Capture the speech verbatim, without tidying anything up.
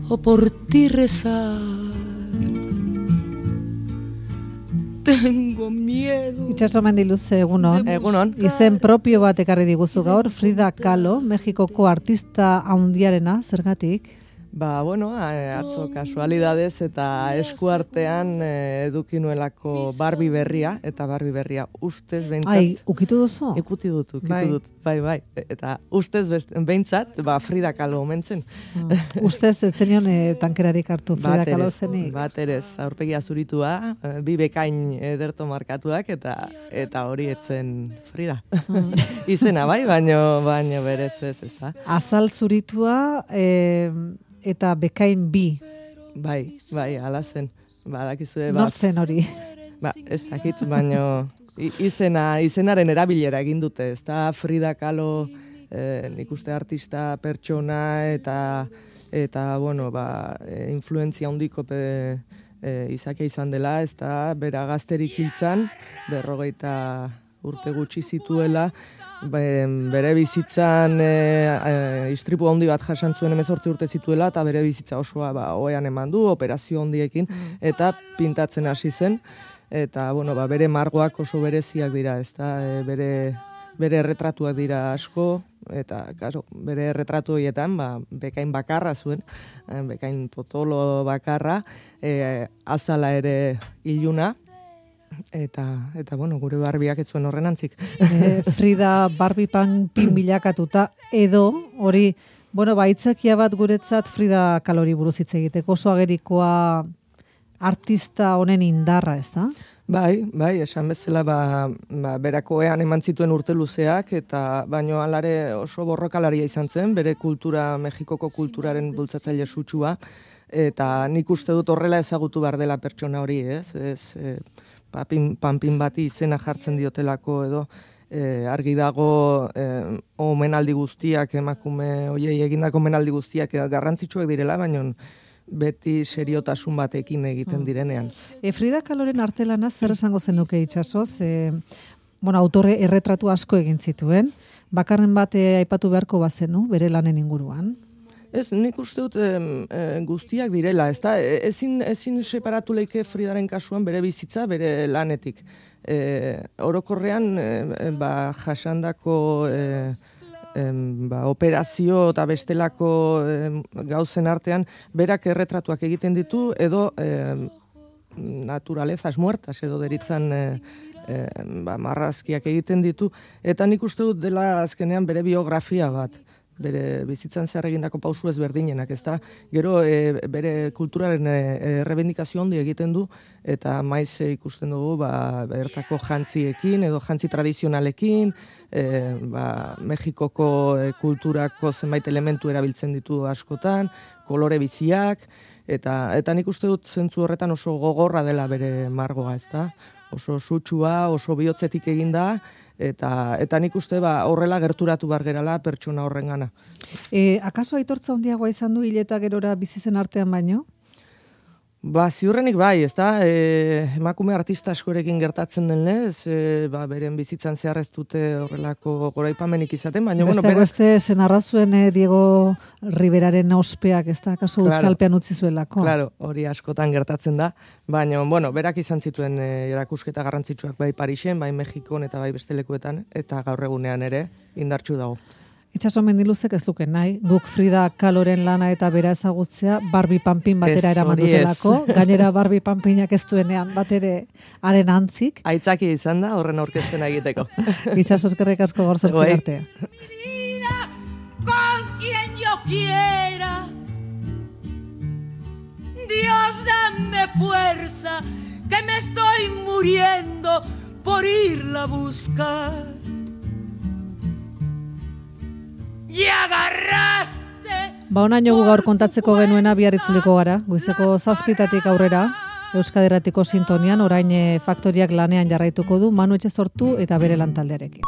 o por ti rezar. Tengo miedo. Itxaso Mendiluze, egunon. Egunon. Izen propio bat ekarri diguzu gaur, Frida Kahlo, Mexikoko artista handiarena, zergatik? Ba, bueno, atzo kasualidadez eta eskuartean eduki nuelako Barbie berria, eta Barbie berria ustez behintzat... Ai, ukitu duzu? Ikuti dut, ukitu bai. dut, bai, bai. Eta ustez behintzat, ba, Frida Kahlo omentzen. Hmm. Ustez, etzenion e, tankerarik hartu Frida Kahlo zenik? Bat erez, aurpegia zuritua, bi bekain ederto markatuak, eta eta hori etzen Frida. Hmm. Izena, bai, baino, baino berez ez, ez da. Azal zuritua... E, eta bekain bi. Bai, bai, ala zen. Badakizue, ba, nortzen hori? Ba, ez dakit, baino izena, izenaren erabilera egin dute, ez da Frida Kahlo, eh, nik uste artista, pertsona, eta, eta bueno, ba, e, influentzia handiko pe, e, izakia izan dela, ez da, bera gazterik hiltzan, berrogeita urte gutxi zituela, bere bizitzan e, e, istripu handi bat jasan zuen hemezortzi urte zituela, eta bere bizitza osoa ba, oean eman du, operazio handiekin, mm. eta pintatzen hasi zen, eta bueno, ba, bere margoak oso bereziak dira, ez da, e, bere, bere erretratuak dira asko, eta kaso, bere erretratu horietan ba, bekain bakarra zuen, e, bekain potolo bakarra, e, azala ere iluna, Eta, eta bueno, gure Barbiak ez zuen horren antzik. E, Frida Barbie panpin bilakatuta, edo, hori, bueno, baitzakia bat guretzat Frida Kahlori buruz hitz egiteko, oso agerikoa artista honen indarra, ez da? Bai, bai, esan bezala, ba, ba, berakoean eman zituen urte luzeak, eta baino alare oso borrokalaria izan zen, bere kultura, Mexikoko kulturaren bultzatzaile sutsua, eta nik uste dut horrela ezagutu behar dela pertsona hori, ez? Ez, e, Papin, panpin bati izena jartzen diotelako edo e, argi dago e, omenaldi guztiak, emakume hoiei egindako omenaldi guztiak garrantzitsuak direla, baina beti seriotasun batekin egiten direnean. E, Frida Kahloren artelana zer esango zenuke Itxasoz? E, bueno, autore erretratu asko egin zituen, bakarren bat e, aipatu beharko bazenu, bere lanen inguruan? Ez, nik uste dut e, e, guztiak direla, ez da, ezin, ezin separatu leike Fridaren kasuan bere bizitza, bere lanetik. E, orokorrean, e, ba, jasandako e, e, ba, operazio eta bestelako e, gauzen artean, berak erretratuak egiten ditu, edo e, naturalezas muertas, edo deritzan e, e, ba, marrazkiak egiten ditu, eta nik uste dut dela azkenean bere biografia bat. Bere bizitzan zehar egindako pausu ezberdinenak, ez da? Gero e, bere kulturaren e, errebendikazio handi egiten du, eta maiz e, ikusten dugu ba, bertako jantziekin edo jantzi tradizionalekin, e, ba, Mexikoko e, kulturako zenbait elementu erabiltzen ditu askotan, kolore biziak, eta, eta nik uste dut zentzu horretan oso gogorra dela bere margoa, ez da? Oso sutsua, oso bihotzetik eginda, eta eta nik uste ba horrela gerturatu bar gerala pertsona horrengana. E, akaso aitortza handiagoa izan du hil eta gerora bizi zen artean baino? Ba, ziurrenik bai, ez da, e, emakume artista askorekin gertatzen den lez, e, ba, beren bizitzan zehar ez dute horrelako goraipamenik izaten, baina... Beste, bueno, beste, zen arrazuen eh, Diego Riberaren ospeak, ez da, akaso claro, utzalpean utzi zuelako. Claro, hori askotan gertatzen da, baina, bueno, berak izan zituen e, erakusketa garrantzitsuak bai Parisen, bai Mexikon eta bai beste lekuetan, eta gaur egunean ere indartsu dago. Itxaso Mendiluzek ez duken nahi, guk Frida Kahloren lana eta bera ezagutzea Barbie panpin batera eraman dutelako, gainera Barbie panpinak ez duenean batere haren antzik. Aitzaki izan da horren aurkezten egiteko. Itxaso eskerrik asko gaur zertzen arte. Con quien yo quiera, Dios dame fuerza, que me estoy muriendo por irla a buscar. Ba, onaino gu gaur kontatzeko genuena bihar itzuliko gara. Goizeko zazpitatik aurrera, Euskadi Irratiko sintonian, orain Faktoriak lanean jarraituko du Manu Etxezortu eta bere lantaldearekin.